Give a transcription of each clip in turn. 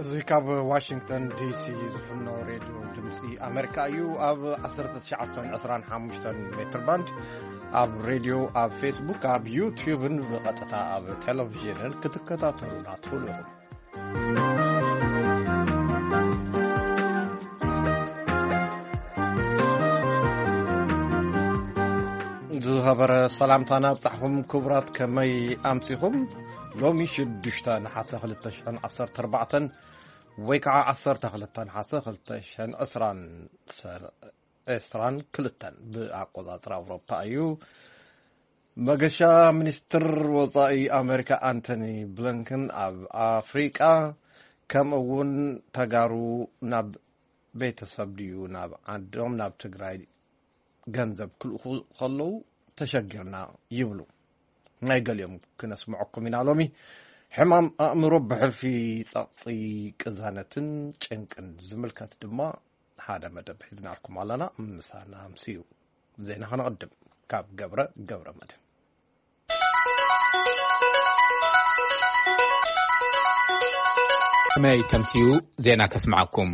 እዚ ካብ ዋሽንግተን ዲሲ ዝፍኖ ሬድዮ ድምፂ ኣሜሪካ እዩ። ኣብ ዓሰርተ ትሽዓተ ዕስራን ሓሙሽተን ሜትር ባንድ፣ ኣብ ሬድዮ፣ ኣብ ፌስቡክ፣ ኣብ ዩቲዩብን ብቐጥታ ኣብ ቴሌቪዥንን ክትከታተሉና ትኽእሉ ኢኹም። ዝኸበረ ሰላምታና ኣብጻሕኹም ክቡራት፣ ከመይ ኣምሲኹም? ሎሚ ሽዱሽተ ነሓሰ ክልተ ሽሕን ዓሰርተ ኣርባዕተን ወይ ከዓ ዓሰርተ ክልተ ነሓሰ ክልተ ሽሕን ዕስራን ሰ-፣ ዕስራን ክልተን ብኣቆጻጽራ ኣውሮፓ እዩ። መገሻ ሚኒስትር ወጻኢ ኣሜሪካ ኣንቶኒ ብሊንከን ኣብ ኣፍሪቃ፣ ከምኡ እውን ተጋሩ ናብ ቤተሰብ ድዩ ናብ ዓዶም ናብ ትግራይ ገንዘብ ክልእኹ ከለዉ ተሸጊርና ይብሉ። ናይ ገሊኦም ክነስምዐኩም ኢና። ሎሚ ሕማም ኣእምሮ ብሕልፊ ጸቕጢ ቅዛነትን ጭንቅን ዝምልከት ድማ ሓደ መደብ ሒዝናልኩም ኣለና። ምሳና ኣምስዩ። ዜና ከነቐድም ካብ ገብረ ገብረ መድህን። ከመይ ተምስዩ ዜና ከስምዓኩም።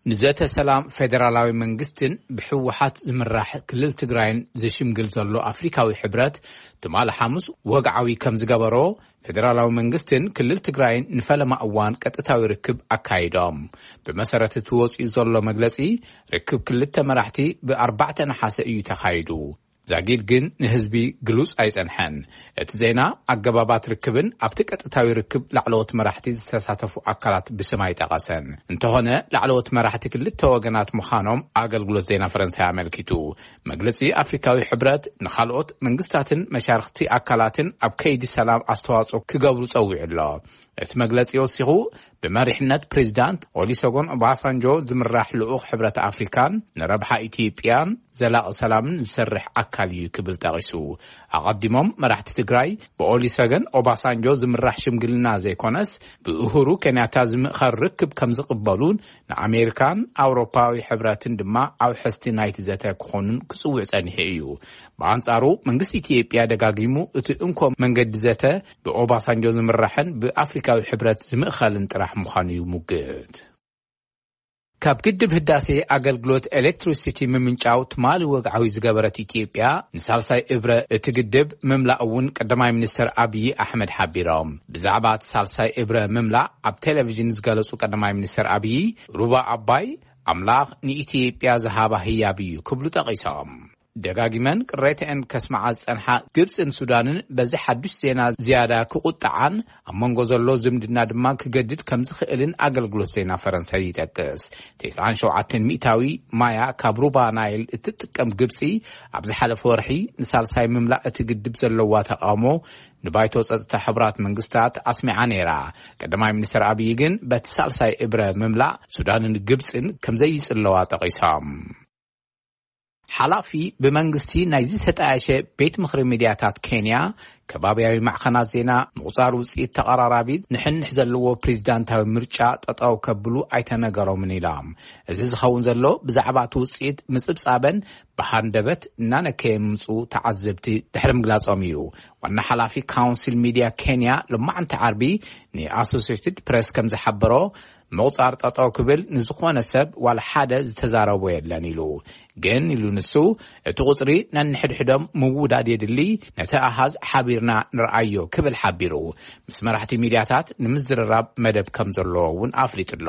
ንዘተ ሰላም ፌደራላዊ መንግስትን ብህወሓት ዝምራሕ ክልል ትግራይን ዝሽምግል ዘሎ ኣፍሪካዊ ሕብረት ትማሊ ሓሙስ ወግዓዊ ከም ዝገበሮ፣ ፌደራላዊ መንግስትን ክልል ትግራይን ንፈለማ እዋን ቀጥታዊ ርክብ ኣካይዶም። ብመሰረት እቲ ወፂኡ ዘሎ መግለፂ፣ ርክብ ክልተ መራሕቲ ብኣርባዕተ ነሓሰ እዩ ተኻይዱ። ዛጊድ ግን ንህዝቢ ግሉጽ ኣይጸንሐን። እቲ ዜና ኣገባባት ርክብን ኣብቲ ቀጥታዊ ርክብ ላዕለዎት መራሕቲ ዝተሳተፉ ኣካላት ብስም ኣይጠቐሰን። እንተኾነ፣ ላዕለዎት መራሕቲ ክልተ ወገናት ምዃኖም ኣገልግሎት ዜና ፈረንሳይ ኣመልኪቱ። መግለጺ ኣፍሪካዊ ሕብረት ንኻልኦት መንግስታትን መሻርኽቲ ኣካላትን ኣብ ከይዲ ሰላም ኣስተዋጽኦ ክገብሩ ጸዊዑ ኣሎ። እቲ መግለጺ ወሲኹ፣ ብመሪሕነት ፕሬዚዳንት ኦሊሰጎን ኦባሳንጆ ዝምራሕ ልኡኽ ሕብረት ኣፍሪካን ንረብሓ ኢትዮጵያን ዘላቒ ሰላምን ዝሰርሕ ኣካል እዩ ክብል ጠቒሱ። ኣቐዲሞም መራሕቲ ትግራይ ብኦሊሰገን ኦባሳንጆ ዝምራሕ ሽምግልና ዘይኮነስ ብእሁሩ ኬንያታ ዝምእኸር ርክብ ከም ዝቕበሉን ንኣሜሪካን ኣውሮፓዊ ሕብረትን ድማ ኣውሐስቲ ናይቲ ዘተ ክኾኑን ክጽውዕ ጸኒሑ እዩ። ብኣንጻሩ መንግስቲ ኢትዮጵያ ደጋጊሙ እቲ እንኮ መንገዲ ዘተ ብኦባሳንጆ ዝምራሕን ብኣፍሪካዊ ሕብረት ዝምእኸልን ጥራሕ ምዃኑ ይሙግት። ካብ ግድብ ህዳሴ ኣገልግሎት ኤሌክትሪሲቲ ምምንጫው ትማሊ ወግዓዊ ዝገበረት ኢትዮጵያ፣ ንሳልሳይ እብረ እቲ ግድብ ምምላእ እውን ቀዳማይ ሚኒስትር ኣብዪ ኣሕመድ ሓቢሮም። ብዛዕባ እቲ ሳልሳይ እብረ ምምላእ ኣብ ቴሌቪዥን ዝገለጹ ቀዳማይ ሚኒስትር ኣብዪ፣ ሩባ ኣባይ ኣምላኽ ንኢትዮጵያ ዝሃባ ህያብ እዩ ክብሉ ጠቒሶም። ደጋጊመን ቅሬተአን ከስምዓ ዝጸንሓ ግብጽን ሱዳንን በዚ ሓዱሽ ዜና ዝያዳ ክቑጥዓን ኣብ መንጎ ዘሎ ዝምድና ድማ ክገድድ ከም ዝኽእልን ኣገልግሎት ዜና ፈረንሳይ ይጠቅስ። ተስዓን ሸውዓተን ሚእታዊ ማያ ካብ ሩባ ናይል እትጥቀም ግብጺ፣ ኣብ ዝሓለፈ ወርሒ ንሳልሳይ ምምላእ እቲ ግድብ ዘለዋ ተቃውሞ ንባይቶ ጸጥታ ሕቡራት መንግስታት ኣስሚዓ ነይራ። ቀዳማይ ሚኒስትር ኣብዪ ግን በቲ ሳልሳይ እብረ ምምላእ ሱዳንን ግብጽን ከም ዘይጽለዋ ጠቒሶም። ሓላፊ ብመንግስቲ ናይ ዝተጣየሸ ቤት ምኽሪ ሚድያታት ኬንያ፣ ከባብያዊ ማዕኸናት ዜና ምቑጻር ውጽኢት ተቐራራቢ ንሕንሕ ዘለዎ ፕሬዚዳንታዊ ምርጫ ጠጠው ከብሉ ኣይተነገሮምን ኢሎም። እዚ ዝኸውን ዘሎ ብዛዕባ እቲ ውጽኢት ምጽብጻበን ብሃንደበት እናነከየ ምምጽኡ ተዓዘብቲ ድሕሪ ምግላጾም እዩ። ዋና ሓላፊ ካውንስል ሚድያ ኬንያ ሎማዕንቲ ዓርቢ ንኣሶሲየትድ ፕሬስ ከም ዝሓበሮ፣ ምቑጻር ጠጠው ክብል ንዝኾነ ሰብ ዋላ ሓደ ዝተዛረቦ የለን ኢሉ። ግን ኢሉ ንሱ፣ እቲ ቁጽሪ ነንሕድሕዶም ምውዳድ የድሊ፣ ነቲ ኣሃዝ ሓቢርና ንርኣዮ ክብል ሓቢሩ። ምስ መራሕቲ ሚድያታት ንምዝርራብ መደብ ከም ዘለዎ እውን ኣፍሊጡ ኣሎ።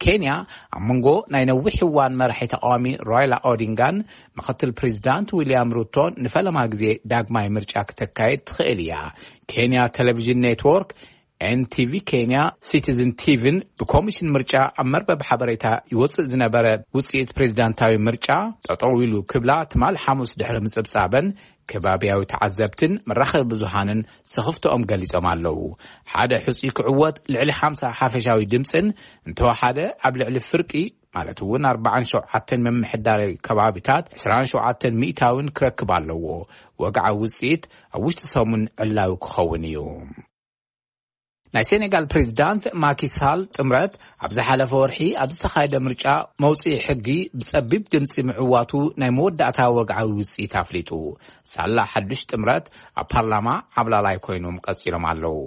ኬንያ ኣብ መንጎ ናይ ነዊሕ እዋን መራሒ ተቃዋሚ ራይላ ኦዲንጋን ምኽትል ፕሬዚዳንት ዊልያም ሩቶን ንፈለማ ግዜ ዳግማይ ምርጫ ክተካየድ ትኽእል እያ። ኬንያ ቴሌቪዥን ኔትወርክ፣ ኤንቲቪ ኬንያ፣ ሲቲዝን ቲቪን ብኮሚሽን ምርጫ ኣብ መርበብ ሓበሬታ ይወፅእ ዝነበረ ውፅኢት ፕሬዚዳንታዊ ምርጫ ጠጠው ኢሉ ክብላ ትማል ሓሙስ ድሕሪ ምፅብፃበን ከባቢያዊ ተዓዘብትን መራኸቢ ብዙሃንን ስኽፍትኦም ገሊጾም ኣለዉ። ሓደ ሕጹይ ክዕወት ልዕሊ ሓምሳ ሓፈሻዊ ድምፅን እንተወሓደ ኣብ ልዕሊ ፍርቂ፣ ማለት እውን ኣርባዓን ሸውዓተን ምምሕዳራዊ ከባቢታት ዕስራን ሸውዓተን ሚእታውን ክረክብ ኣለዎ። ወግዓዊ ውጽኢት ኣብ ውሽጢ ሰሙን ዕላዊ ክኸውን እዩ። ናይ ሴኔጋል ፕሬዚዳንት ማኪ ሳል ጥምረት ኣብ ዝሓለፈ ወርሒ ኣብ ዝተኻየደ ምርጫ መውጽኢ ሕጊ ብጸቢብ ድምጺ ምዕዋቱ ናይ መወዳእታ ወግዓዊ ውጽኢት ኣፍሊጡ። ሳላ ሓዱሽ ጥምረት ኣብ ፓርላማ ዓብላላይ ኮይኖም ቀጺሎም ኣለዉ።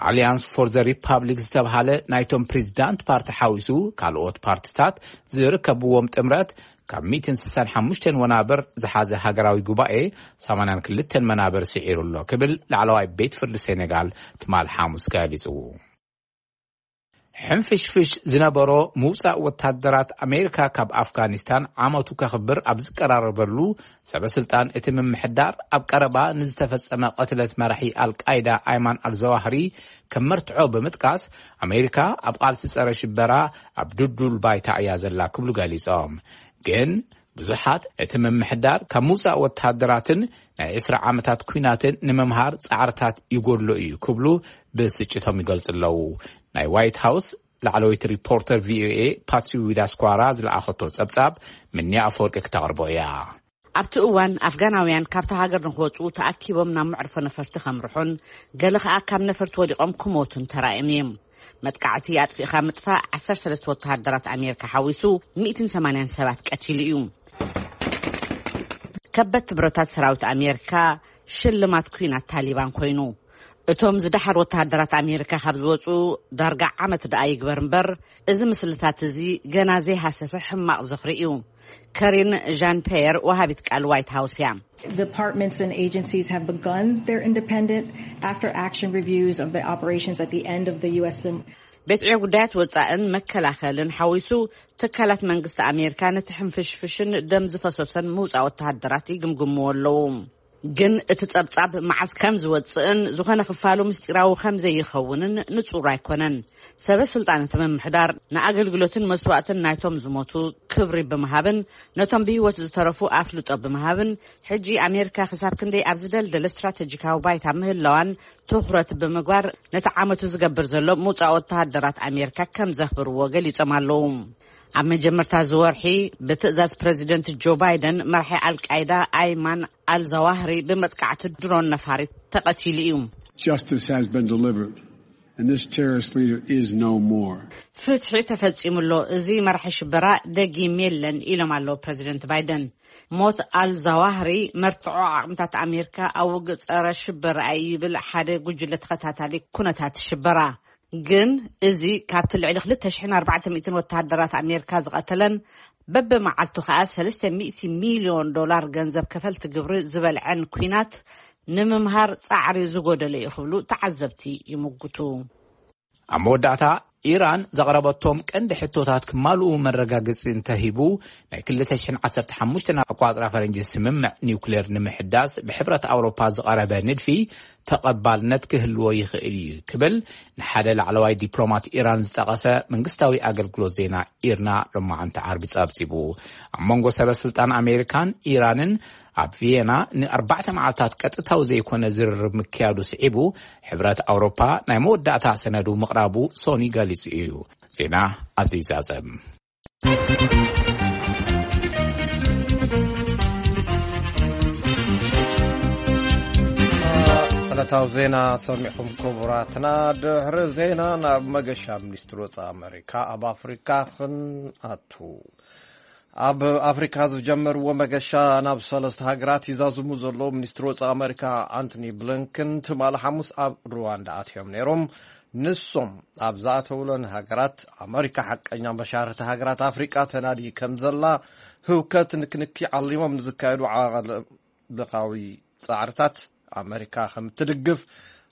ኣሊያንስ ፎር ዘ ሪፓብሊክ ዝተብሃለ ናይቶም ፕሬዚዳንት ፓርቲ ሓዊሱ ካልኦት ፓርቲታት ዝርከብዎም ጥምረት ካብ ሚእትን ስሳን ሓሙሽተን ወናብር ዝሓዘ ሃገራዊ ጉባኤ ሰማንያን ክልተን መናብር ስዒሩ ኣሎ ክብል ላዕለዋይ ቤት ፍርዲ ሴኔጋል ትማል ሓሙስ ገሊጹ። ሕንፍሽፍሽ ዝነበሮ ምውጻእ ወታደራት ኣሜሪካ ካብ ኣፍጋኒስታን ዓመቱ ከኽብር ኣብ ዝቀራረበሉ፣ ሰበ ስልጣን እቲ ምምሕዳር ኣብ ቀረባ ንዝተፈጸመ ቅትለት መራሒ ኣልቃይዳ ኣይማን ኣልዘዋህሪ ከም መርትዖ ብምጥቃስ፣ ኣሜሪካ ኣብ ቃልሲ ጸረ ሽበራ ኣብ ድዱል ባይታ እያ ዘላ ክብሉ ገሊጾም። ግን ብዙሓት እቲ ምምሕዳር ካብ ምውጻእ ወታደራትን ናይ ዕስራ ዓመታት ኲናትን ንምምሃር ጻዕርታት ይጎድሎ እዩ ክብሉ ብስጭቶም ይገልጹ ኣለዉ። ናይ ዋይት ሃውስ ላዕለወይቲ ሪፖርተር ቪኦኤ ፓትሲ ዊዳስኳራ ዝለኣኸቶ ጸብጻብ ምንያ ኣፈወርቂ ክተቕርቦ እያ። ኣብቲ እዋን ኣፍጋናውያን ካብታ ሃገር ንክወጹ ተኣኪቦም ናብ መዕርፎ ነፈርቲ ከምርሑን ገለ ከኣ ካብ ነፈርቲ ወዲቖም ክሞቱን ተራእዮም እዮም። መጥቃዕቲ ኣጥፊእኻ ምጥፋእ ዓሰርተ ሰለስተ ወተሃደራት ኣሜሪካ ሓዊሱ ሚእትን ሰማንያን ሰባት ቀቲሉ እዩ። ከበድቲ ብረታት ሰራዊት ኣሜሪካ ሽልማት ኲናት ታሊባን ኮይኑ፣ እቶም ዝደሓሩ ወተሃደራት ኣሜሪካ ካብ ዝወጹ ዳርጋ ዓመት ደኣ ይግበር እምበር፣ እዚ ምስልታት እዚ ገና ዘይሃሰሰ ሕማቕ ዝኽሪ እዩ። ከሪን ዣን ፔየር ወሃቢት ቃል ዋይት ሃውስ እያ። Departments and agencies have begun their independent after action reviews of the operations at the end of the U S. ቤት ዕዮ ጉዳያት ወጻእን መከላኸልን ሓዊሱ ትካላት መንግስቲ ኣሜሪካ ነቲ ሕንፍሽፍሽን ደም ዝፈሰሶን ምውጻእ ወተሃደራት ይግምግምዎ ኣለዉ። ግን እቲ ጸብጻብ መዓስ ከም ዝወጽእን ዝኾነ ክፋሉ ምስጢራዊ ከም ዘይኸውንን ንጹር ኣይኮነን። ሰበ ስልጣን እቲ ምምሕዳር ንኣገልግሎትን መስዋእትን ናይቶም ዝሞቱ ክብሪ ብምሃብን ነቶም ብህይወት ዝተረፉ ኣፍልጦ ብምሃብን ሕጂ ኣሜሪካ ክሳብ ክንደይ ኣብ ዝደልደለ ስትራተጂካዊ ባይታ ምህላዋን ትኹረት ብምግባር ነቲ ዓመቱ ዝገብር ዘሎ ምውጻእ ወተሃደራት ኣሜሪካ ከም ዘኽብርዎ ገሊጾም ኣለዉ። ኣብ መጀመርታ ዝወርሒ ብትእዛዝ ፕረዚደንት ጆ ባይደን መራሒ ኣልቃይዳ ኣይማን ኣልዛዋህሪ ብመጥቃዕቲ ድሮን ነፋሪት ተቐቲሉ እዩ። Justice has been delivered, and this terrorist leader is no more. ፍትሒ ተፈጺሙ ኣሎ፣ እዚ መራሒ ሽበራ ደጊም የለን ኢሎም ኣለዉ ፕረዚደንት ባይደን። ሞት ኣልዛዋህሪ መርትዖ ዓቕምታት ኣሜሪካ ኣብ ውግእ ጸረ ሽበራ እዩ ይብል ሓደ ጉጅለ ተኸታታሊ ኩነታት ሽበራ። ግን እዚ ካብቲ ልዕሊ ክልተ ሽሕን ኣርባዕተ ሚእትን ወተሃደራት ኣሜሪካ ዝቐተለን በብመዓልቱ ከኣ ሰለስተ ሚእቲ ሚልዮን ዶላር ገንዘብ ከፈልቲ ግብሪ ዝበልዐን ኲናት ንምምሃር ጻዕሪ ዝጎደለ እዩ ክብሉ ተዓዘብቲ ይምጉቱ። ኣብ መወዳእታ ኢራን ዘቕረበቶም ቀንዲ ሕቶታት ክማልኡ መረጋገጺ እንተሂቡ፣ ናይ ክልተ ሽሕን ዓሰርተ ሓሙሽተን ኣቋጽራ ፈረንጂ ስምምዕ ኒውክሌር ንምሕዳስ ብሕብረት ኣውሮፓ ዝቐረበ ንድፊ ተቐባልነት ክህልዎ ይኽእል እዩ ክብል ንሓደ ላዕለዋይ ዲፕሎማት ኢራን ዝጠቐሰ መንግስታዊ ኣገልግሎት ዜና ኢርና ሎማዓንቲ ዓርቢ ጸብጺቡ። ኣብ መንጎ ሰበ ስልጣን ኣሜሪካን ኢራንን ኣብ ቪየና ንኣርባዕተ መዓልታት ቀጥታዊ ዘይኮነ ዝርርብ ምክያዱ ስዒቡ፣ ሕብረት ኣውሮፓ ናይ መወዳእታ ሰነዱ ምቕራቡ ሶኒ ገሊጹ እዩ። ዜና ኣብዚ ይዛዘም። ዕለታዊ ዜና ሰሚዕኹም ክቡራትና። ድሕሪ ዜና ናብ መገሻ ሚኒስትሪ ወጻኢ ኣሜሪካ ኣብ ኣፍሪካ ክንኣቱ። ኣብ ኣፍሪካ ዝጀመርዎ መገሻ ናብ ሰለስተ ሃገራት ይዛዝሙ ዘለዉ ሚኒስትሪ ወጻኢ ኣሜሪካ ኣንቶኒ ብሊንከን ትማሊ ሓሙስ ኣብ ሩዋንዳ ኣትዮም ነይሮም። ንሶም ኣብ ዝኣተውለን ሃገራት ኣሜሪካ ሓቀኛ መሻርክቲ ሃገራት ኣፍሪቃ ተናዲ ከም ዘላ ህውከት ንክንኪ ዓሊሞም ንዝካየዱ ዓለምለኻዊ ጻዕርታት ኣሜሪካ ከም እትድግፍ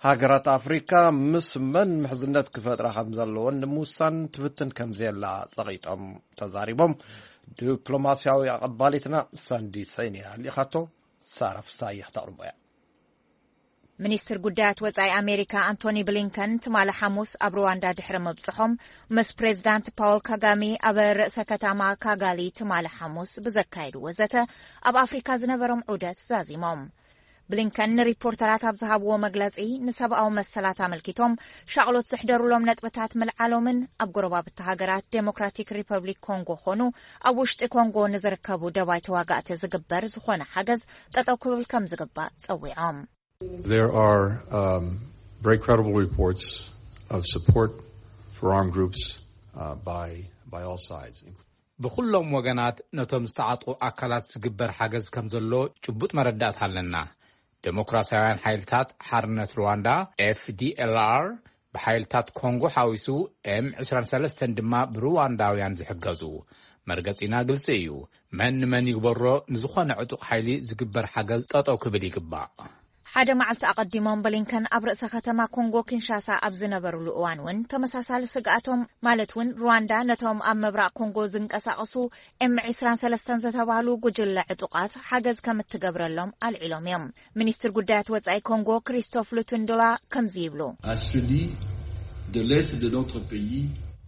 ሃገራት ኣፍሪካ ምስ መን ምሕዝነት ክፈጥራ ከም ዘለወን ንምውሳን ትፍትን ከም ዘላ ጸቒጦም ተዛሪቦም። ዲፕሎማስያዊ ኣቐባሊትና ሳንዲ ሰይን እያ ልኢኻቶ። ሳራ ፍሳየ ክተቕርቦ እያ። ሚኒስትር ጉዳያት ወጻኢ ኣሜሪካ ኣንቶኒ ብሊንከን ትማሊ ሓሙስ ኣብ ሩዋንዳ ድሕሪ ምብጽሖም ምስ ፕሬዚዳንት ፓውል ካጋሚ ኣብ ርእሰ ከተማ ካጋሊ ትማሊ ሓሙስ ብዘካየድዎ ዘተ ኣብ ኣፍሪካ ዝነበሮም ዑደት ዛዚሞም። ብሊንከን ንሪፖርተራት ኣብ ዝሃብዎ መግለጺ ንሰብኣዊ መሰላት ኣመልኪቶም ሻቕሎት ዘሕደሩሎም ነጥብታት ምልዓሎምን ኣብ ጎረባብቲ ሃገራት ዴሞክራቲክ ሪፐብሊክ ኮንጎ ኾኑ ኣብ ውሽጢ ኮንጎ ንዝርከቡ ደባይ ተዋጋእቲ ዝግበር ዝኾነ ሓገዝ ጠጠው ክብል ከም ዝግባእ ጸዊዖም። There are um, very credible reports of support for armed groups uh, by, by all sides. ብኹሎም ወገናት ነቶም ዝተዓጥቑ ኣካላት ዝግበር ሓገዝ ከም ዘሎ ጭቡጥ መረዳእታ ኣለና። ዴሞክራሲያውያን ሓይልታት ሓርነት ሩዋንዳ ኤፍዲኤልኣር ብሓይልታት ኮንጎ ሓዊሱ፣ ኤም ዕስራን ሰለስተን ድማ ብሩዋንዳውያን ዝሕገዙ። መርገጺና ግልጺ እዩ። መን ንመን ይግበሮ፣ ንዝኾነ ዕጡቕ ሓይሊ ዝግበር ሓገዝ ጠጠው ክብል ይግባእ። ሓደ መዓልቲ ኣቐዲሞም ብሊንከን ኣብ ርእሰ ከተማ ኮንጎ ኪንሻሳ ኣብ ዝነበሩሉ እዋን እውን ተመሳሳሊ ስግኣቶም፣ ማለት እውን ሩዋንዳ ነቶም ኣብ ምብራቕ ኮንጎ ዝንቀሳቐሱ ኤም ዕስራን ሰለስተን ዝተባህሉ ጉጅለ ዕጡቓት ሓገዝ ከም እትገብረሎም ኣልዒሎም እዮም። ሚኒስትር ጉዳያት ወጻኢ ኮንጎ ክሪስቶፍ ሉቱንዶላ ከምዚ ይብሉ። À celui de l'est de notre pays.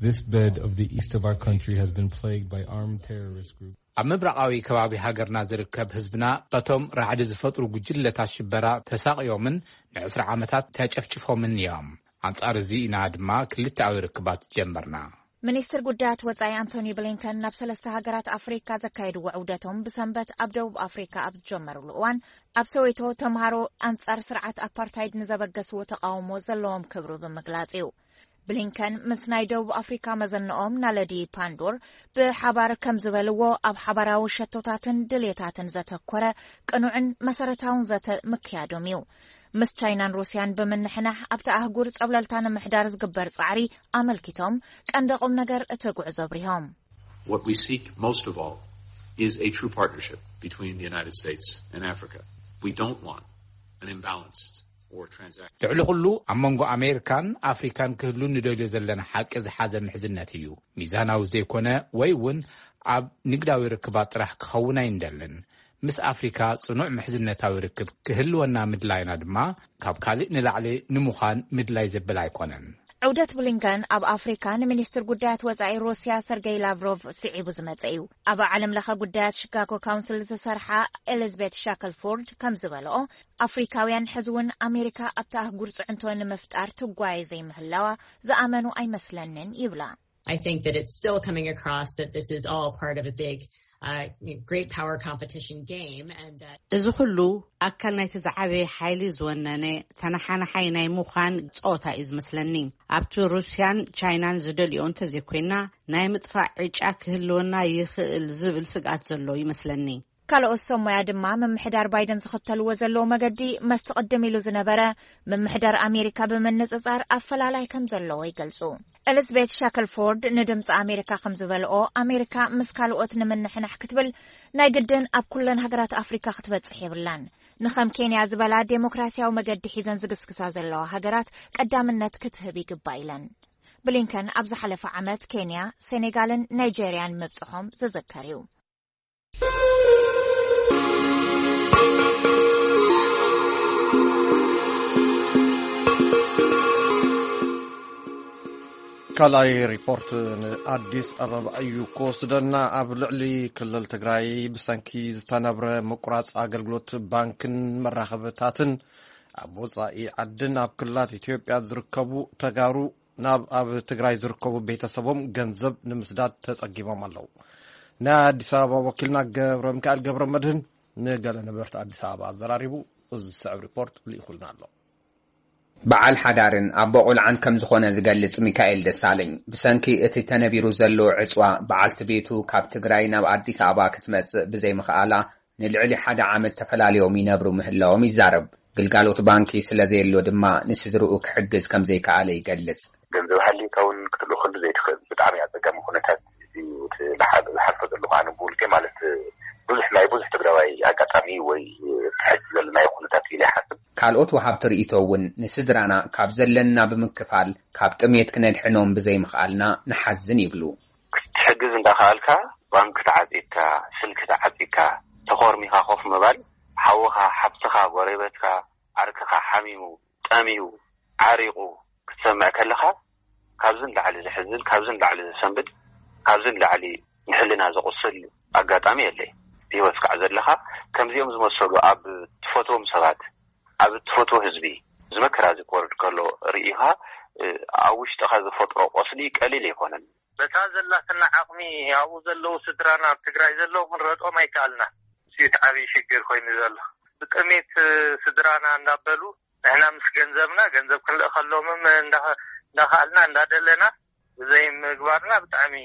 This bed of the east of our country has been plagued by armed terrorist groups. ኣብ ምብራቓዊ ከባቢ ሃገርና ዝርከብ ህዝብና በቶም ራዕዲ ዝፈጥሩ ጉጅለታት ሽበራ ተሳቕዮምን ንዕስራ ዓመታት ተጨፍጭፎምን እዮም። ኣንጻር እዚ ኢና ድማ ክልተኣዊ ርክባት ጀመርና። ሚኒስትር ጉዳያት ወጻኢ ኣንቶኒ ብሊንከን ናብ ሰለስተ ሃገራት ኣፍሪካ ዘካየድዎ ዑደቶም ብሰንበት ኣብ ደቡብ ኣፍሪካ ኣብ ዝጀመሩሉ እዋን፣ ኣብ ሰወይቶ ተምሃሮ ኣንጻር ስርዓት ኣፓርታይድ ንዘበገስዎ ተቃውሞ ዘለዎም ክብሪ ብምግላጽ እዩ። ብሊንከን ምስ ናይ ደቡብ ኣፍሪካ መዘንኦም ናለዲ ፓንዶር ብሓባር ከም ዝበልዎ፣ ኣብ ሓባራዊ ሸቶታትን ድሌታትን ዘተኮረ ቅኑዕን መሰረታውን ዘተ ምክያዶም እዩ። ምስ ቻይናን ሩስያን ብምንሕናሕ ኣብቲ ኣህጉር ጸብለልታ ንምሕዳር ዝግበር ጻዕሪ ኣመልኪቶም ቀንዲ ቁም ነገር እቲ ጉዕዞ ኣብሪሆም። What we seek most of all is a true partnership between the United States and Africa. We don't want an imbalanced or transactional. ልዕሊ ኩሉ ኣብ መንጎ ኣሜሪካን ኣፍሪካን ክህሉ ንደልዮ ዘለና ሓቂ ዝሓዘ ምሕዝነት እዩ። ሚዛናዊ ዘይኮነ ወይ እውን ኣብ ንግዳዊ ርክባት ጥራሕ ክኸውን ኣይንደልን። ምስ ኣፍሪካ ጽኑዕ ምሕዝነታዊ ርክብ ክህልወና ምድላይና ድማ ካብ ካልእ ንላዕሊ ንምዃን ምድላይ ዘብል ኣይኮነን። ዑደት ብሊንከን ኣብ ኣፍሪካ ንሚኒስትር ጉዳያት ወጻኢ ሩስያ ሰርገይ ላቭሮቭ ስዒቡ ዝመጸ እዩ። ኣብ ዓለም ለኸ ጉዳያት ሺካጎ ካውንስል ዝሰርሓ ኤሊዝቤት ሻክልፎርድ ከም ዝበልኦ፣ ኣፍሪካውያን ሕዚ እውን ኣሜሪካ ኣብታ ኣህጉር ጽዕንቶ ንምፍጣር ትጓየ ዘይምህላዋ ዝኣመኑ ኣይመስለንን ይብላ። I think that it's still coming across that this is all part of a big, uh, great power competition game, and that እዚ ኩሉ ኣካል ናይቲ ዝዓበየ ሓይሊ ዝወነነ ተነሓናሓይ ናይ ምዃን ጸወታ እዩ ዝመስለኒ። ኣብቲ ሩስያን ቻይናን ዝደልዮ እንተዘይኮይና፣ ናይ ምጥፋእ ዕጫ ክህልወና ይኽእል ዝብል ስግኣት ዘሎ ይመስለኒ። ካልኦት ሰብ ሞያ ድማ ምምሕዳር ባይደን ዝኽተልዎ ዘለዉ መገዲ መስቲ ቅድም ኢሉ ዝነበረ ምምሕዳር ኣሜሪካ ብምንጽጻር ኣፈላላይ ከም ዘለዎ ይገልጹ። ኤሊዝቤት ሻክልፎርድ ንድምፂ ኣሜሪካ ከም ዝበልኦ፣ ኣሜሪካ ምስ ካልኦት ንምንሕናሕ ክትብል ናይ ግድን ኣብ ኩለን ሃገራት ኣፍሪካ ክትበጽሕ የብላን። ንኸም ኬንያ ዝበላ ዴሞክራሲያዊ መገዲ ሒዘን ዝግስግሳ ዘለዋ ሃገራት ቀዳምነት ክትህብ ይግባእ ኢለን። ብሊንከን ኣብ ዝሓለፈ ዓመት ኬንያ፣ ሴኔጋልን ናይጀርያን ምብጽሖም ዝዝከር እዩ። ካልኣይ ሪፖርት ንኣዲስ ኣበባ እዩ ክወስደና። ኣብ ልዕሊ ክልል ትግራይ ብሰንኪ ዝተነብረ ምቁራፅ ኣገልግሎት ባንክን መራኸብታትን ኣብ ወፃኢ ዓድን ኣብ ክልላት ኢትዮጵያ ዝርከቡ ተጋሩ ናብ ኣብ ትግራይ ዝርከቡ ቤተሰቦም ገንዘብ ንምስዳድ ተፀጊሞም ኣለዉ። ናይ ኣዲስ ኣበባ ወኪልና ገብረ ሚካኤል ገብረ መድህን ንገለ ነበርቲ ኣዲስ ኣበባ ኣዘራሪቡ እዚ ዝስዕብ ሪፖርት ልኢኹልና ኣሎ። በዓል ሓዳርን ኣቦ ቆልዓን ከም ዝኾነ ዝገልጽ ሚካኤል ደሳለኝ፣ ብሰንኪ እቲ ተነቢሩ ዘሎ ዕጽዋ በዓልቲ ቤቱ ካብ ትግራይ ናብ ኣዲስ ኣበባ ክትመጽእ ብዘይምኽኣላ ንልዕሊ ሓደ ዓመት ተፈላልዮም ይነብሩ ምህላዎም ይዛረብ። ግልጋሎት ባንኪ ስለ ዘየሎ ድማ ንስድርኡ ክሕግዝ ከም ዘይከኣለ ይገልጽ። ገንዘብ ሃልዩካ እውን ክትልእኸሉ ዘይትኽእል ብጣዕሚ ኣጸጋሚ ኩነታት እዩ። እቲ ዝሓ- ዝሓልፎ ዘለኹ ኣነ ብውልቀይ ማለት ብዙሕ ናይ ብዙሕ ትግራዋይ ኣጋጣሚ ወይ ሕጂ ዘለናዮ ኩነታት ኢለ ይሓስብ። ካልኦት ወሃብቲ ርእይቶ እውን ንስድራና ካብ ዘለና ብምክፋል ካብ ጥሜት ክነድሕኖም ብዘይምኽኣልና ንሓዝን ይብሉ። ክትሕግዝ እንዳኸኣልካ ባንክ ተዓፂካ፣ ስልኪ ተዓፂካ፣ ተኾርሚኻ ኮፍ ምባል፣ ሓውኻ፣ ሓፍትኻ፣ ጎረቤትካ፣ ዓርክኻ ሓሚሙ፣ ጠምዩ፣ ዓሪቑ ክትሰምዕ ከለኻ ካብዚ ንላዕሊ ዘሕዝን፣ ካብዚ ንላዕሊ ዘሰንብድ፣ ካብዚ ንላዕሊ ንሕልና ዘቑስል ኣጋጣሚ የለይ። ብህይወት ክሳዕ ዘለኻ ከምዚኦም ዝመሰሉ ኣብ ትፈትዎም ሰባት፣ ኣብ ትፈትዎ ህዝቢ እዚ መከራ እዚ ክወርድ ከሎ ርኢኻ ኣብ ውሽጥኻ ዝፈጥሮ ቆስሊ ቀሊል ኣይኮነን። በታ ዘላትና ዓቕሚ ኣብኡ ዘለዉ ስድራና ኣብ ትግራይ ዘለዉ ክንረድኦም ኣይከኣልና። እሱ እቲ ዓብዪ ሽግር ኮይኑ ዘሎ። ብጥሜት ስድራና እንዳበሉ ንሕና ምስ ገንዘብና ገንዘብ ክንልእኸሎምም እንዳኸኣልና እንዳደለና ብዘይምግባርና ብጣዕሚ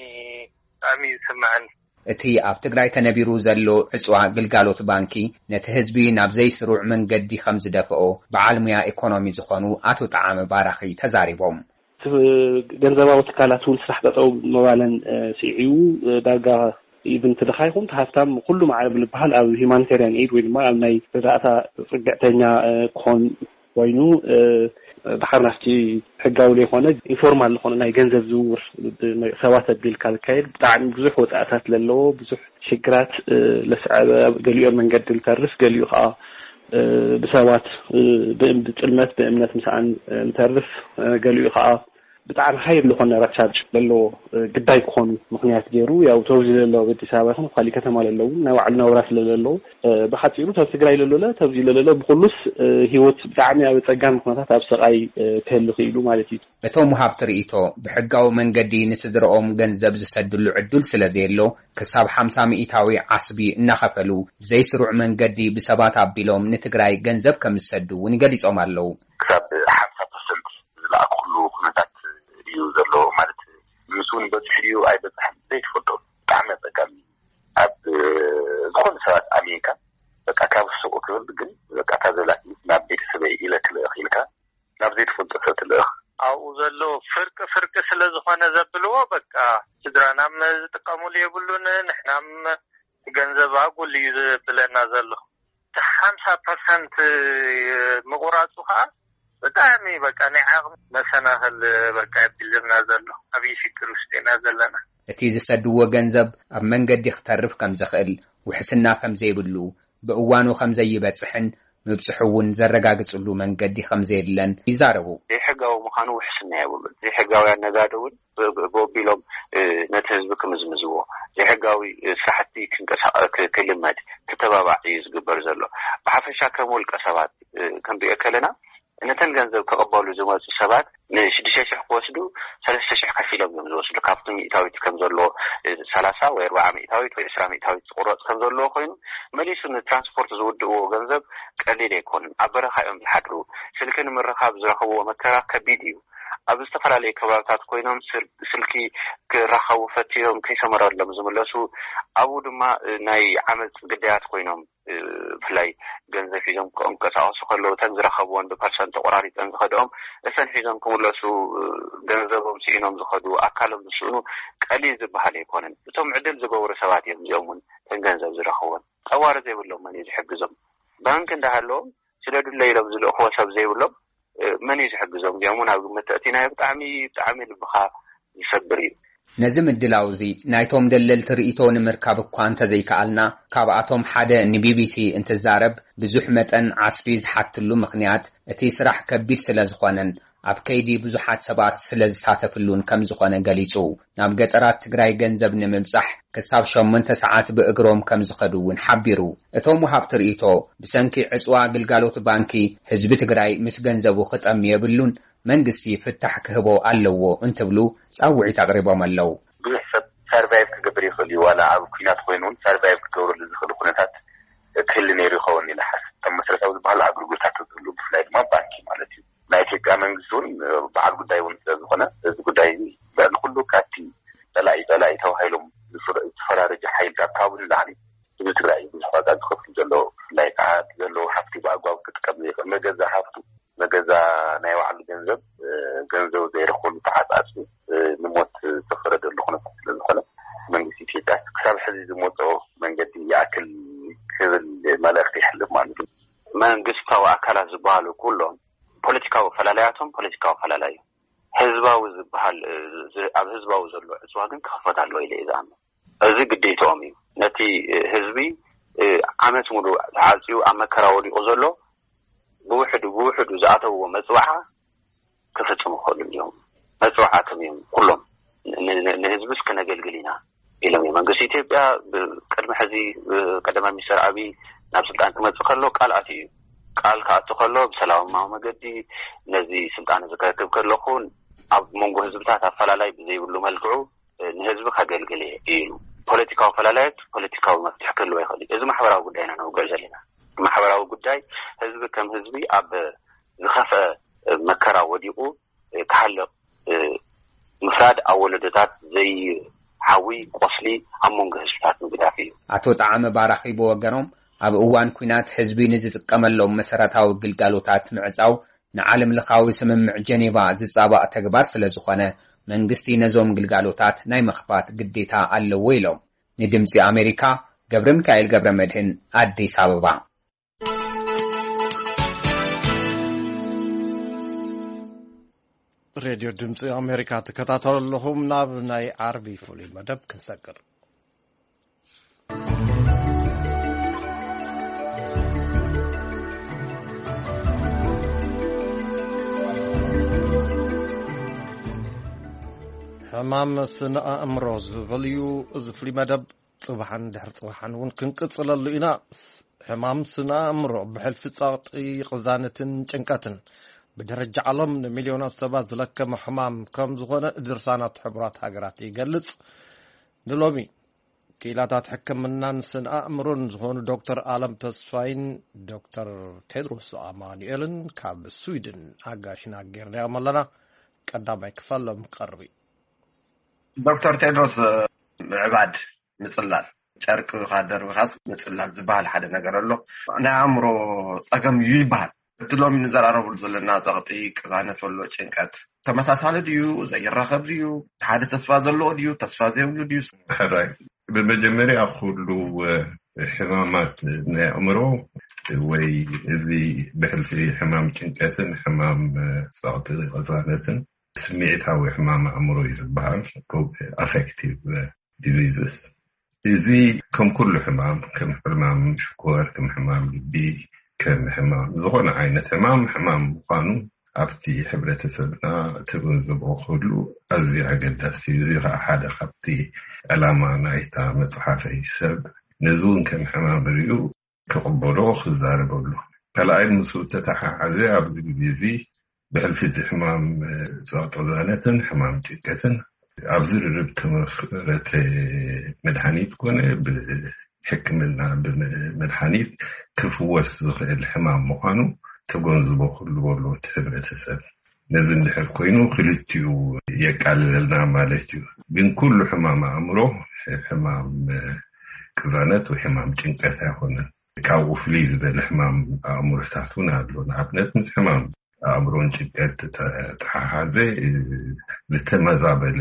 ብጣዕሚ እዩ ዝስምዐኒ። እቲ ኣብ ትግራይ ተነቢሩ ዘሎ ዕፅዋ ግልጋሎት ባንኪ ነቲ ህዝቢ ናብ ዘይስሩዕ መንገዲ ከም ዝደፍኦ በዓል ሙያ ኢኮኖሚ ዝኾኑ ኣቶ ጠዓመ ባራኺ ተዛሪቦም። ገንዘባዊ ትካላት እውን ስራሕ ጠጠው መባለን ስዒቡ ዳርጋ ኢቭን ትድኻ ይኹን ሃፍታም ኩሉ ማዕረብ ዝበሃል ኣብ ሂማኒታርያን ኤድ ወይ ድማ ኣብ ናይ ረዳእታ ፅግዕተኛ ክኾን ኮይኑ ድሓር ናፍቲ ሕጋዊ ዘይኮነ ኢንፎርማል ዝኾነ ናይ ገንዘብ ዝውውር ሰባት ኣቢልካ ዝካየድ ብጣዕሚ ብዙሕ ወፃእታት ዘለዎ ብዙሕ ሽግራት ለስዐበ ገሊኦም መንገዲ ልተርፍ ገሊኡ ከዓ ብሰባት ብጥልመት ብእምነት ምስኣን ልተርፍ ገሊኡ ከዓ ብጣዕሚ ሃይ ዝኾነ ረብሻ ዘለዎ ግዳይ ክኾኑ ምክንያት ገይሩ ያው ተብዚ ለለዉ ኣዲስ ኣበባ ይኹን ካሊእ ከተማ ለለዉ ናይ ባዕሉ ናብራ ስለ ዘለዎ ብሓፂሩ ተብ ትግራይ ለሎለ ተብዚ ለለለ ብኩሉስ ህይወት ብጣዕሚ ኣብ ፀጋሚ ኩነታት ኣብ ሰቃይ ክህሉ ክኢሉ ማለት እዩ። እቶም ውሃብቲ ርእይቶ ብሕጋዊ መንገዲ ንስድረኦም ገንዘብ ዝሰድሉ ዕዱል ስለ ዘየሎ ክሳብ ሓምሳ ሚእታዊ ዓስቢ እናኸፈሉ ብዘይስሩዕ መንገዲ ብሰባት ኣቢሎም ንትግራይ ገንዘብ ከም ዝሰዱ እውን ገሊፆም ኣለዉ። ክሳብ ሓምሳ ፐርሰንት ዝለኣክሉ ኩነታት እዩ ዘሎ ማለት ምስኡ ንበፅሕ ድዩ ኣይበፅሕን ዘይትፈልጦ ብጣዕሚ ኣፀጋሚ ኣብ ዝኾነ ሰባት ኣሚንካ በቃ ካብ ሱቁ ክብል ግን በቃ እታ ዘላኪ ናብ ቤተሰበይ ኢለ ክልእኽ ኢልካ ናብ ዘይትፈልጦ ሰብ ትልእኽ። ኣብኡ ዘሎ ፍርቂ ፍርቂ ስለ ዝኾነ ዘብልዎ በቃ ስድራና ዝጥቀሙሉ የብሉን ንሕናም ገንዘብ ኣጉል እዩ ዝብለና ዘሎ። ሓምሳ ፐርሰንት ምቑራፁ ከዓ ብጣዕሚ በቃ ናይ ዓቕሚ መሰናኽል በቃ የብልና ዘሎ። ኣብይ ሽግር ውሽጢ ኢና ዘለና። እቲ ዝሰድዎ ገንዘብ ኣብ መንገዲ ክተርፍ ከም ዝኽእል፣ ውሕስና ከም ዘይብሉ፣ ብእዋኑ ከም ዘይበጽሕን ምብጽሑ እውን ዘረጋግጽሉ መንገዲ ከም ዘየለን ይዛረቡ። ዘይሕጋዊ ምዃኑ ውሕስና የብሉን። ዘይሕጋውያን ነጋዶ እውን በቢሎም ነቲ ህዝቢ ክምዝምዝዎ፣ ዘይሕጋዊ ስራሕቲ ክንቀሳቀ ክልመድ ክተባባዕ እዩ ዝግበር ዘሎ። ብሓፈሻ ከም ውልቀ ሰባት ክንሪኦ ከለና ነተን ገንዘብ ክቕበሉ ዝመፁ ሰባት ንሽዱሽተ ሽሕ ክወስዱ ሰለስተ ሽሕ ከፊሎም እዮም ዝወስዱ። ካብቲ ሚእታዊት ከም ዘለዎ ሰላሳ ወይ ኣርባዓ ሚእታዊት ወይ ዕስራ ሚእታዊት ዝቁረፅ ከም ዘለዎ ኮይኑ መሊሱ ንትራንስፖርት ዝውድእዎ ገንዘብ ቀሊል ኣይኮኑን። ኣብ በረኻ እዮም ዝሓድሩ። ስልኪ ንምርኻብ ዝረኽብዎ መከራ ከቢድ እዩ። ኣብ ዝተፈላለዩ ከባብታት ኮይኖም ስልኪ ክራኸቡ ፈትዮም ከይሰመረሎም ዝምለሱ ኣብኡ ድማ ናይ ዓመፅ ግዳያት ኮይኖም ብፍላይ ገንዘብ ሒዞም ክንቀሳቀሱ ከለዉ እተን ዝረኸብዎን ብፐርሰንት ተቆራሪፀን ዝኸድኦም እተን ሒዞም ክምለሱ ገንዘቦም ስኢኖም ዝኸዱ ኣካሎም ዝስእኑ ቀሊል ዝበሃል ኣይኮነን። እቶም ዕድል ዝገብሩ ሰባት እዮም እዚኦም እውን እተን ገንዘብ ዝረኽቦን ጠዋሪ ዘይብሎም መን እዩ ዝሕግዞም? ባንክ እንዳሃለዎም ስደዱለይ ኢሎም ዝልእኽዎ ሰብ ዘይብሎም መን እዩ ዝሕግዞም? እዚኦም እውን ኣብ ግምት ተእቲናዮ ብጣዕሚ ብጣዕሚ ልብኻ ይሰብር እዩ። ነዚ ምድላው እዚ ናይቶም ደለልቲ ርእይቶ ንምርካብ እኳ እንተዘይከኣልና፣ ካብኣቶም ሓደ ንቢቢሲ እንትዛረብ፣ ብዙሕ መጠን ዓስቢ ዝሓትሉ ምኽንያት እቲ ስራሕ ከቢድ ስለ ዝኾነን ኣብ ከይዲ ብዙሓት ሰባት ስለ ዝሳተፍሉን ከም ዝኾነ ገሊጹ። ናብ ገጠራት ትግራይ ገንዘብ ንምብጻሕ ክሳብ ሸሞንተ ሰዓት ብእግሮም ከም ዝኸዱ እውን ሓቢሩ። እቶም ወሃብቲ ርእይቶ፣ ብሰንኪ ዕጽዋ ግልጋሎት ባንኪ ህዝቢ ትግራይ ምስ ገንዘቡ ክጠሚ የብሉን፣ መንግስቲ ፍታሕ ክህቦ ኣለዎ እንትብሉ ጻውዒት ኣቕሪቦም ኣለዉ። ብዙሕ ሰብ ሰርቫይቭ ክገብር ይኽእል እዩ ዋላ ኣብ ኩናት ኮይኑ እውን ሰርቫይቭ ክገብረሉ ዝኽእል ኩነታት ክህሊ ነይሩ ይኸውን ኢለ ሓስብ። እቶም መሰረታዊ ዝበሃሉ ኣገልግሎታት ዝህሉ ብፍላይ ድማ ባንኪ ማለት እዩ። ናይ ኢትዮጵያ መንግስቲ እውን በዓል ጉዳይ እውን ስለ ዝኾነ እዚ ጉዳይ እዚ ልዕሊ ኩሉ ካብቲ ፀላኢ ፀላኢ ተባሂሎም ዝፈራረጁ ሓይልታት ካብኡ ንላዕሊ ህዝቢ ትግራይ ብዙሕ ዋጋ ዝኸፍሉ ዘለዉ ብፍላይ ከዓ እቲ ዘለዉ ሃፍቲ ብኣግባቡ ክጥቀም ዘይኽእል መገዛ ሃፍቱ መገዛ ናይ ባዕሉ ገንዘብ ገንዘቡ ዘይረኽበሉ ተዓፃፂ ንሞት ዝተፈረደሉ ኩነታት ስለዝኾነ መንግስቲ ኢትዮጵያ ክሳብ ሕዚ ዝመፅኦ መንገዲ ይኣክል ክብል መልእኽቲ ይሕልፍ ማለት እዩ። መንግስታዊ ኣካላት ዝበሃሉ ኩሎም ፖለቲካዊ ኣፈላላያቶም ፖለቲካዊ ኣፈላላይ እዩ። ህዝባዊ ዝበሃል ኣብ ህዝባዊ ዘሎ ዕፅዋ ግን ክኽፈት ኣለዎ ኢለ እየ ዝኣምን። እዚ ግዴትኦም እዩ። ነቲ ህዝቢ ዓመት ሙሉ ተዓፅዩ ኣብ መከራ ወዲቑ ዘሎ ብውሕዱ ብውሕዱ ዝኣተውዎ መፅዋዓ ክፍፅሙ ክኽእሉ እዮም። መፅዋዕቶም እዮም ኩሎም ንህዝብስ ክነገልግል ኢና ኢሎም እዮም። መንግስቲ ኢትዮጵያ ቅድሚ ሕዚ ቀዳማይ ሚኒስትር ኣብይ ናብ ስልጣን ክመፅእ ከሎ ቃል ኣትዩ እዩ። ቃል ክኣቱ ከሎ ብሰላማዊ መገዲ ነዚ ስልጣን እዚ ከረክብ ከለኹ ኣብ መንጎ ህዝብታት ኣፈላላይ ብዘይብሉ መልክዑ ንህዝቢ ከገልግል እየ ኢሉ። ፖለቲካዊ ኣፈላላያት ፖለቲካዊ መፍትሒ ክህልዎ ይኽእል እዩ። እዚ ማሕበራዊ ጉዳይ ኢና ነውግዕ ዘለና። ማሕበራዊ ጉዳይ ህዝቢ ከም ህዝቢ ኣብ ዝኸፍአ መከራ ወዲቑ ክሃልቕ ምፍራድ ኣብ ወለዶታት ዘይሓዊ ቆስሊ ኣብ መንጎ ህዝብታት ምግዳፍ እዩ። ኣቶ ጠዓመ ባራኺ ብወገኖም ኣብ እዋን ኲናት ህዝቢ ንዝጥቀመሎም መሰረታዊ ግልጋሎታት ምዕፃው ንዓለም ለኻዊ ስምምዕ ጀኔቫ ዝጻባእ ተግባር ስለ ዝኾነ፣ መንግስቲ ነዞም ግልጋሎታት ናይ ምኽፋት ግዴታ ኣለዎ ኢሎም። ንድምጺ ኣሜሪካ፣ ገብረ ሚካኤል ገብረ መድህን፣ ኣዲስ ኣበባ። ሬድዮ ድምፂ ኣሜሪካ ትከታተሉ ኣለኹም። ናብ ናይ ዓርቢ ፍሉይ መደብ ክንሰግር። ሕማም ስነ ኣእምሮ ዝብል እዩ እዚ ፍሉይ መደብ። ጽባሕን ድሕሪ ጽባሕን እውን ክንቅጽለሉ ኢና። ሕማም ስነ ኣእምሮ ብሕልፊ ጸቕጢ፣ ቅዛነትን ጭንቀትን ብደረጃ ዓለም ንሚልዮናት ሰባት ዝለከመ ሕማም ከም ዝኾነ ድርሳናት ሕቡራት ሃገራት ይገልጽ። ንሎሚ ክኢላታት ሕክምናን ስነ ኣእምሮን ዝኾኑ ዶክተር ኣለም ተስፋይን ዶክተር ቴድሮስ ኣማኑኤልን ካብ ስዊድን ኣጋሽና ጌርናዮም ኣለና። ቀዳማይ ክፋሎም ቀርቢ። ዶክተር ቴድሮስ፣ ምዕባድ፣ ምጽላል፣ ጨርቂ ደርቢኻስ ምጽላል ዝበሃል ሓደ ነገር ኣሎ። ናይ ኣእምሮ ጸገም እዩ ይበሃል። እቲ ሎሚ ንዘራረብሉ ዘለና ጸቕጢ፣ ቅዛነት፣ ወሎ ጭንቀት ተመሳሳሊ ድዩ? ዘይራኸብ ድዩ? ሓደ ተስፋ ዘለዎ ድዩ? ተስፋ ዘይብሉ ድዩ? ሕራይ፣ ብመጀመርያ ኩሉ ሕማማት ናይ ኣእምሮ ወይ እዚ ብሕልፊ ሕማም ጭንቀትን ሕማም ጸቕጢ ቅዛነትን ስምዒታዊ ሕማም ኣእምሮ እዩ ዝበሃል፣ ኣፌክቲቭ ዲዚዝስ። እዚ ከም ኩሉ ሕማም፣ ከም ሕማም ሽኮር፣ ከም ሕማም ልቢ፣ ከም ሕማም ዝኾነ ዓይነት ሕማም፣ ሕማም ምዃኑ ኣብቲ ሕብረተሰብና ትግንዝቦ ክህሉ ኣዝዩ ኣገዳሲ እዩ። እዚ ከዓ ሓደ ካብቲ ዕላማ ናይታ መፅሓፈይ። ሰብ ነዚ እውን ከም ሕማም ርእዩ ክቕበሎ ክዛረበሉ። ካልኣይ፣ ምስኡ ተተሓሓዘ ኣብዚ ግዜ እዚ ብሕልፊ እቲ ሕማም ጸቕጢ ቅዛነትን ሕማም ጭንቀትን ኣብ ዝርርብ ተመስረተ መድሃኒት ኮነ ብሕክምና ብመድሃኒት ክፍወስ ዝኽእል ሕማም ምዃኑ ተጎንዝቦ ክህልዎ ኣለዎ እቲ ሕብረተሰብ። ነዚ እንድሕር ኮይኑ ክልቲኡ የቃልለልና ማለት እዩ። ግን ኩሉ ሕማም ኣእምሮ ሕማም ቅዛነት ወይ ሕማም ጭንቀት ኣይኮነን። ካብኡ ፍልይ ዝበለ ሕማም ኣእምሮታት እውን ኣሎ። ንኣብነት ምስ ሕማም ኣእምሮን ጭንቀት ተተሓሓዘ ዝተመዛበለ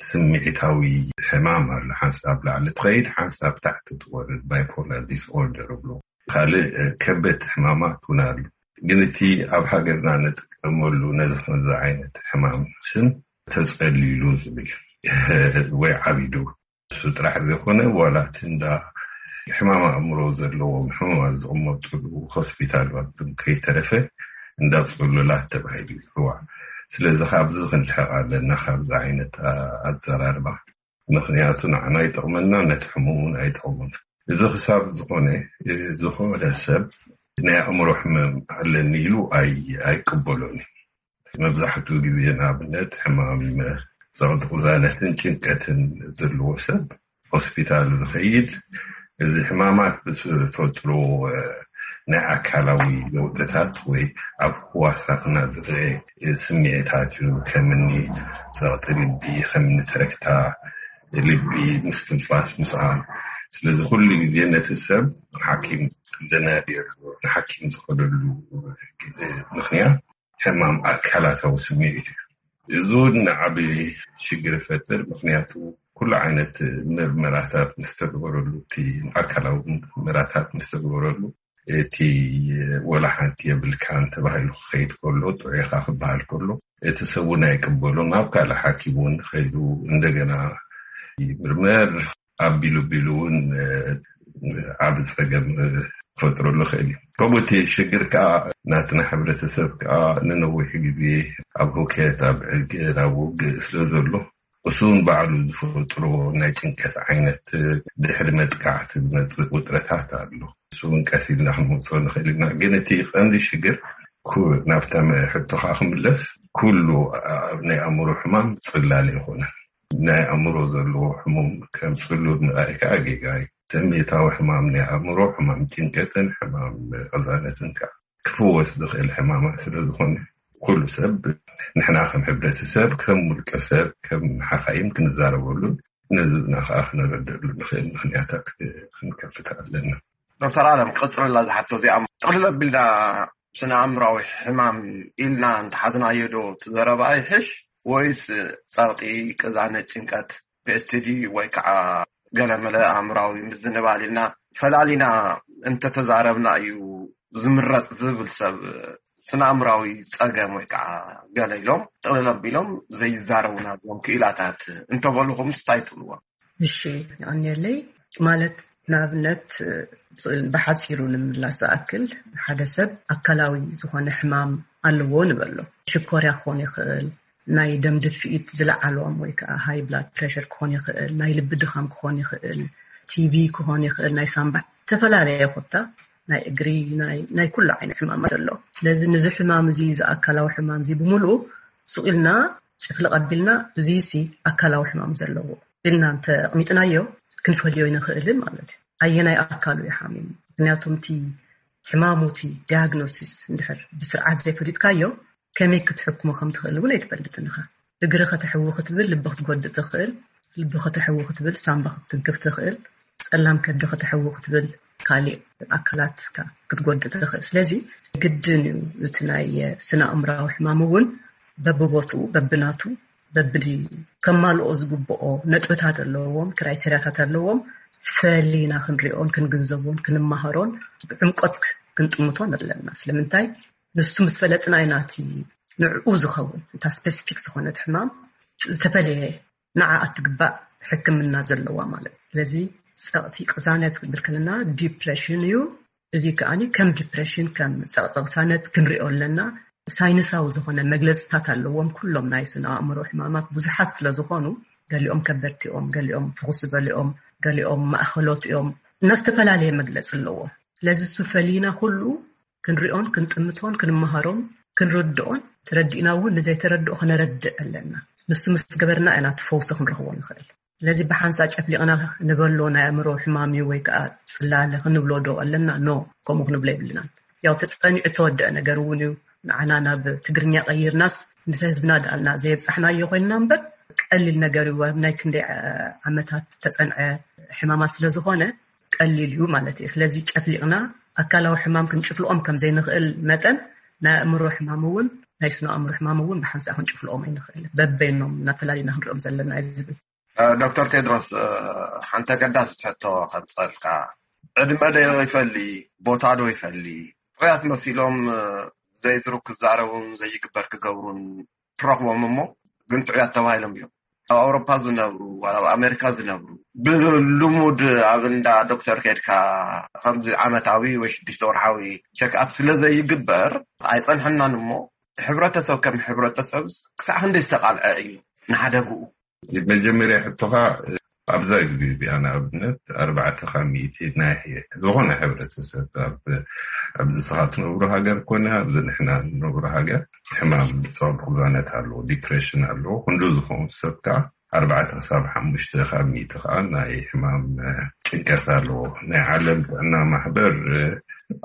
ስምዒታዊ ሕማም ኣሎ። ሓንሳብ ላዕሊ ትኸይድ፣ ሓንሳብ ታሕቲ ትወርድ፣ ባይፖላር ዲስኦርደር ይብሎ። ካልእ ከበድቲ ሕማማት እውን ኣሎ። ግን እቲ ኣብ ሃገርና ንጥቀመሉ ነዚ ከምዚ ዓይነት ሕማም ስም ተጸሊሉ ዝብል ወይ ዓቢዱ፣ እሱ ጥራሕ ዘይኮነ ዋላ እቲ እንዳ ሕማም ኣእምሮ ዘለዎም ሕሙማት ዝቕመጥሉ ሆስፒታላት እውን ከይተረፈ እንዳ ጽሉላት ተባሂሉ ይጽዋዕ። ስለዚ ካብዚ ክንርሕቕ ኣለና፣ ካብዚ ዓይነት ኣዘራርባ። ምኽንያቱ ንዓና ኣይጠቕመና፣ ነቲ ሕሙም እውን ኣይጠቕሙን። እዚ ክሳብ ዝኾነ፣ ዝኾነ ሰብ ናይ ኣእምሮ ሕመም ኣለኒ ኢሉ ኣይ-፣ ኣይቅበሎን እዩ። መብዛሕትኡ ግዜ ንኣብነት ሕማም ጸቕጢ ቅዛነትን ጭንቀትን ዘለዎ ሰብ ሆስፒታል ዝኸይድ፣ እዚ ሕማማት ብዝፈጥሮ ናይ ኣካላዊ ለውጥታት ወይ ኣብ ህዋሳትና ዝረአ ስምዒታት እዩ። ከምኒ ጸቕጢ ልቢ፣ ከምኒ ትረክታ ልቢ፣ ምስትንፋስ ምስኣን። ስለዚ ኩሉ ግዜ ነቲ ሰብ ሓኪም ዘናድየሉ፣ ንሓኪም ዝኸደሉ ግዜ ምኽንያት ሕማም ኣካላታዊ ስምዒት እዩ። እዚ እውን ዓቢ ሽግር ይፈጥር። ምኽንያቱ ኩሉ ዓይነት ምርመራታት ምስ ተግበረሉ፣ እቲ ኣካላዊ ምርመራታት ምስ ተግበረሉ፣ እቲ ወላ ሓንቲ የብልካን ተባሂሉ ክኸይድ ከሎ፣ ጥዑይ ኢኻ ክበሃል ከሎ፣ እቲ ሰብ እውን ኣይቅበሎን። ኣብ ካልእ ሓኪም እውን ከይዱ እንደገና ይምርመር። ኣቢሉ ኣቢሉ እውን ዓቢ ጸገም ክፈጥረሉ ይኽእል እዩ። ከምኡ እቲ ሽግር ከኣ ናትና ሕብረተሰብ ከኣ ንነዊሕ ግዜ ኣብ ሁከት፣ ኣብ ዕግር፣ ኣብ ውግእ ስለ ዘሎ፣ እሱ እውን ባዕሉ ዝፈጥሮ ናይ ጭንቀት ዓይነት ድሕሪ መጥቃዕቲ ዝመጽእ ውጥረታት ኣሎ። እሱ እውን ቀስ ኢልና ክንወጽኦ ንኽእል ኢና። ግን እቲ ቀንዲ ሽግር ኩ-፣ ናብታ መ-፣ ሕቶኻ ክምለስ፣ ኩሉ ኣ-፣ ናይ ኣእምሮ ሕማም ጽላል ኣይኮነን። ናይ ኣእምሮ ዘለዎ ሕሙም ከም ጽሉል ምርኣይ ከኣ ጌጋ እዩ። ስምዒታዊ ሕማም ናይ ኣእምሮ፣ ሕማም ጭንቀትን ሕማም ቅዛነትን ከኣ ክፍወስ ዝኽእል ሕማማት ስለ ዝኾነ፣ ኩሉ ሰብ፣ ንሕና ከም ሕብረተሰብ፣ ከም ውልቀ ሰብ፣ ከም ሓኻይም ክንዛረበሉን ነዚ ብና ከኣ ክነረድእሉ ንኽእል ምኽንያታት ክንከፍት ኣለና። ዶክተር ኣለም፣ ክቕጽለላ ዝሓቶ እዚኣ ጥቕልል ኣቢልና ስነ ኣእምራዊ ሕማም ኢልና እንተሓዝናዮ ዶ እቲ ዘረባ ይሕሽ፣ ወይስ ጸቕጢ፣ ቅዛነት፣ ጭንቀት፣ ፒኤስቲዲ ወይ ከዓ ገለመለ ኣእምራዊ ምዝንባል ኢልና ፈላሊና እንተተዛረብና እዩ ዝምረጽ ዝብል ሰብ ስነ ኣእምራዊ ጸገም ወይ ከዓ ገለ ኢሎም ጥቕልል ኣቢሎም ዘይዛረቡና እዞም ክኢላታት እንተበሉኹም እንታይ ትብልዎም? እሺ፣ የቐንየለይ። ማለት ንኣብነት ብሓፂሩ ንምምላስ ዝኣክል ሓደ ሰብ ኣካላዊ ዝኾነ ሕማም ኣለዎ ንበሎ። ሽኮርያ ክኾን ይኽእል፣ ናይ ደም ድፍኢት ዝለዓሎም ወይ ከዓ ሃይ ብላድ ፕሬሸር ክኾን ይኽእል፣ ናይ ልቢ ድኻም ክኾን ይኽእል፣ ቲቢ ክኾን ይኽእል፣ ናይ ሳምባ ዝተፈላለየ ኮታ ናይ እግሪ ናይ ናይ ኩሉ ዓይነት ሕማማት ኣሎ። ስለዚ ንዚ ሕማም እዚ እዚ ኣካላዊ ሕማም እዚ ብምሉኡ ሱቕ ኢልና ጭፍልቕ ኣቢልና እዚ ሲ ኣካላዊ ሕማም ዘለዎ ኢልና እንተ ኣቕሚጥናዮ ክንፈልዮ ይንኽእልን ማለት እዩ። ኣየናይ ኣካሉ እዩ ሓሚሙ? ምክንያቱ እቲ ሕማሙ እቲ ዲያግኖሲስ እንድሕር ብስርዓት ዘይፈሊጥካዮ ከመይ ክትሕክሞ ከም ትኽእል እውን ኣይትፈልጥን ኢኻ። እግሪ ከተሕዊ ክትብል ልቢ ክትጎድእ ትኽእል፣ ልቢ ከተሕዊ ክትብል ሳምባ ክትትንክፍ ትኽእል፣ ጸላም ከብዲ ከተሕዊ ክትብል ካሊእ ኣካላትካ ክትጎድእ ትኽእል። ስለዚ ግድን እዩ እቲ ናይ ስነ ኣእምራዊ ሕማም እውን በብቦትኡ በብናቱ በብዲ ከማልኦ ዝግብኦ ነጥብታት ኣለዎም፣ ክራይቴሪያታት ኣለዎም። ፈሊና ክንሪኦን ክንግንዘቦን ክንመሃሮን ብዕምቆት ክንጥምቶን ኣለና። ስለምንታይ ንሱ ምስ ፈለጥና ኢና እቲ ንዕኡ ዝኸውን እታ ስፔሲፊክ ዝኾነት ሕማም ዝተፈለየ ንዓ እትግባእ ሕክምና ዘለዋ ማለት እዩ። ስለዚ ጸቕጢ ቅሳነት ክብል ከለና ዲፕሬሽን እዩ። እዚ ከኣ ከም ዲፕሬሽን ከም ጸቕጢ ቅሳነት ክንሪኦ ኣለና። ሳይንሳዊ ዝኾነ መግለጽታት ኣለዎም። ኩሎም ናይ ስነ ኣእምሮ ሕማማት ብዙሓት ስለ ዝኾኑ ገሊኦም ከበድቲ እዮም፣ ገሊኦም ፍኹስ ዝበሉ እዮም፣ ገሊኦም ማእኸሎት እዮም እና ዝተፈላለየ መግለጺ ኣለዎም። ስለዚ እሱ ፈሊና ኩሉ ክንሪኦን ክንጥምቶን ክንመሃሮን ክንርድኦን ተረዲእና እውን ንዘይተረድኦ ክነረድእ ኣለና። ንሱ ምስ ገበርና ኢና እቲ ፈውሲ ክንረኽቦ ንኽእል። ስለዚ ብሓንሳ ጨፍሊቕና ንበሎ ናይ ኣእምሮ ሕማም እዩ ወይ ከዓ ጽላለ ክንብሎ ዶ ኣለና? ኖ፣ ከምኡ ክንብሎ የብልናን። ያው ተጸኒዑ ተወደአ ነገር እውን እዩ። ንዓና ናብ ትግርኛ ቀይርናስ ምስ ህዝብና ደኣልና ዘየብጻሕናዮ ኮይንና እምበር ቀሊል ነገር እዩ። ኣብ ናይ ክንደይ ዓመታት ተጸንዐ ሕማማት ስለ ዝኾነ ቀሊል እዩ ማለት እዩ። ስለዚ ጨፍሊቕና ኣካላዊ ሕማም ክንጭፍልቖም ከም ዘይንኽእል መጠን ናይ ኣእምሮ ሕማም እውን ናይ ስነ ኣእምሮ ሕማም እውን ብሓንሳእ ክንጭፍልቖም ኣይንኽእል። በበይኖም እናፈላሊና ክንሪኦም ዘለና እዩ ዝብል። ዶክተር ቴድሮስ፣ ሓንቲ ኣገዳሲ ትሕቶ ከብፀልካ። ዕድመ ዶ ይፈሊ፣ ቦታ ዶ ይፈሊ? ጥዑያት መሲሎም ዘይዝሩ ክዛረቡን ዘይግበር ክገብሩን ትረኽቦም እሞ ግን ጥዑያት ተባሂሎም እዮም። ኣብ ኣውሮፓ ዝነብሩ ዋላ ኣብ ኣሜሪካ ዝነብሩ ብልሙድ ኣብ እንዳ ዶክተር ከድካ ከምዚ ዓመታዊ ወይ ሽዱሽተ ወርሓዊ ቸክኣፕ ስለ ዘይግበር ኣይፀንሐናን እሞ ሕብረተሰብ ከም ሕብረተሰብ ክሳዕ ክንደይ ዝተቃልዐ እዩ ንሓደግኡ? እዚ መጀመርያ ሕቶኻ ኣብዛ ግዜ እዚኣ ንኣብነት ኣርባዕተ ካብ ሚእቲ ናይ ዝኾነ ሕብረተሰብ ኣብዚ ስኻ ትነብሩ ሃገር ኮነ ኣብዚ ንሕና ንነብሩ ሃገር ሕማም ጸቕጢ ቅዛነት ኣለዎ፣ ዲፕሬሽን ኣለዎ። ክንዱ ዝኸውን ሰብ ከዓ ኣርባዕተ ክሳብ ሓሙሽተ ካብ ሚእቲ ከዓ ናይ ሕማም ጭንቀት ኣለዎ። ናይ ዓለም ጥዕና ማሕበር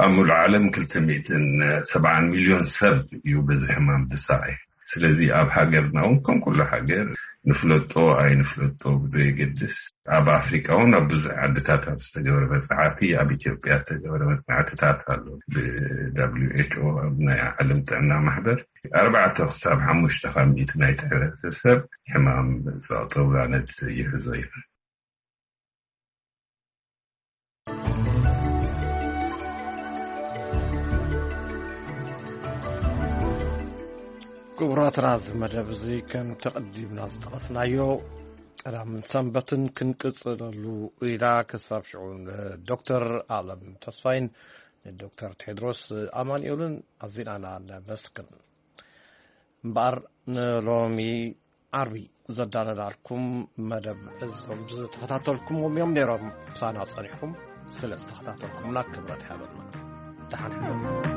ኣብ ሙሉእ ዓለም ክልተ ሚእትን ሰብዓን ሚልዮን ሰብ እዩ በዚ ሕማም ዝሳቐይ። ስለዚ ኣብ ሃገርና እውን ከም ኩሉ ሃገር ንፍለጦ ኣይንፍለጦ ብዘየገድስ ኣብ ኣፍሪቃ እውን ኣብ ብዙሕ ዓድታት ኣብ ዝተገበረ መፅናዕቲ ኣብ ኢትዮጵያ ዝተገበረ መፅናዕትታት ኣሎ። ብደብሊው ኤች ኦ ኣብ ናይ ዓለም ጥዕና ማሕበር ኣርባዕተ ክሳብ ሓሙሽተ ካብ ሚእቲ ናይቲ ሕብረተሰብ ሕማም ጸቕጢ ቅዛነት ይሕዞ እዩ። ክቡራትና፣ እዚ መደብ እዚ ከም ተቐዲምና ዝጠቐስናዮ ቀዳምን ሰንበትን ክንቅጽለሉ ኢና። ክሳብ ሽዑ ንዶክተር ኣለም ተስፋይን ንዶክተር ቴድሮስ ኣማኑኤልን ኣዚና ነመስግን። እምበኣር ንሎሚ ዓርቢ ዘዳለናልኩም መደብ እዞም ዝተኸታተልኩምዎም እዮም ነይሮም። ምሳና ጸኒሕኩም ስለ ዝተኸታተልኩምና ክብረት ይሃበልና። ደሓን ሕደሩ።